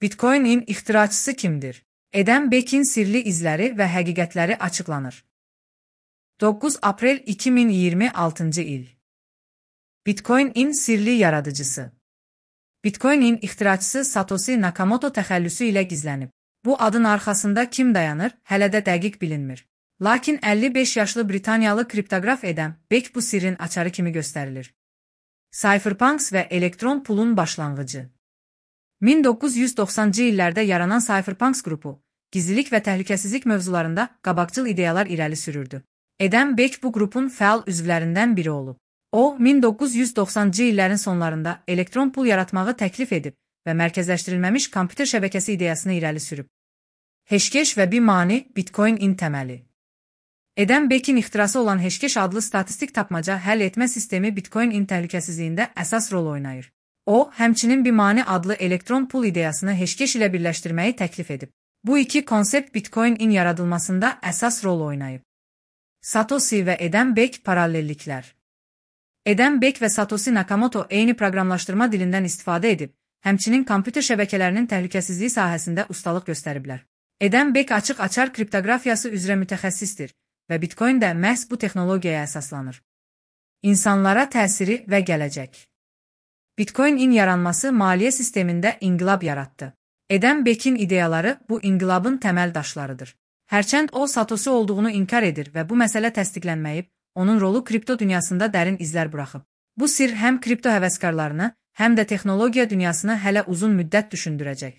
Bitcoin'in ixtiraçısı kimdir? Eden Beck'in sirli izləri və həqiqətləri açıqlanır. 9 aprel 2026 il. Bitcoin'in sirli yaradıcısı. Bitcoin'in ixtiraçısı Satoshi Nakamoto təxəllüsü ilə gizlənib. Bu adın arxasında kim dayanır, hələ də dəqiq bilinmir. Lakin 55 yaşlı Britaniyalı kriptoqraf Eden Beck bu sirrin açarı kimi göstərilir. Cypherpunks və elektron pulun başlanğıcı. 1990-cı illərdə yaranan Cypherpunks qrupu, gizlilik və təhlükəsizlik mövzularında qabaqcıl ideyalar irəli sürürdü. Eden Beck bu qrupun fəal üzvlərindən biri olub. O, 1990-cı illərin sonlarında elektron pul yaratmağı təklif edib və mərkəzləşdirilməmiş kompüter şəbəkəsi ideyasını irəli sürüb. Hashcash və B-Money Bitcoin'in təməli. Eden Beck'in ixtirası olan Hashcash adlı statistik tapmaca həll etmə sistemi Bitcoin'in təhlükəsizliyində əsas rol oynayır. O, həmçinin B-Money adlı elektron pul ideyasını Hashcash ilə birləşdirməyi təklif edib. Bu iki konsept Bitcoin'in yaradılmasında əsas rol oynayıb. Satoshi və Eden Beck paralelliklər. Eden Beck və Satoshi Nakamoto eyni proqramlaşdırma dilindən istifadə edib, həmçinin kompüter şəbəkələrinin təhlükəsizliyi sahəsində ustalıq göstəriblər. Eden Beck açıq-açar kriptoqrafiyası üzrə mütəxəssisdir və Bitcoin də məhz bu texnologiyaya əsaslanır. İnsanlara təsiri və gələcək. Bitcoin'in yaranması maliyyə sistemində inqilab yaratdı. Eden Beck'in ideyaları bu inqilabın təməl daşlarıdır. Hərçənd o Satoshi olduğunu inkar edir və bu məsələ təsdiqlənməyib, onun rolu kripto dünyasında dərin izlər buraxıb. Bu sir həm kripto həvəskarlarını, həm də texnologiya dünyasını hələ uzun müddət düşündürəcək.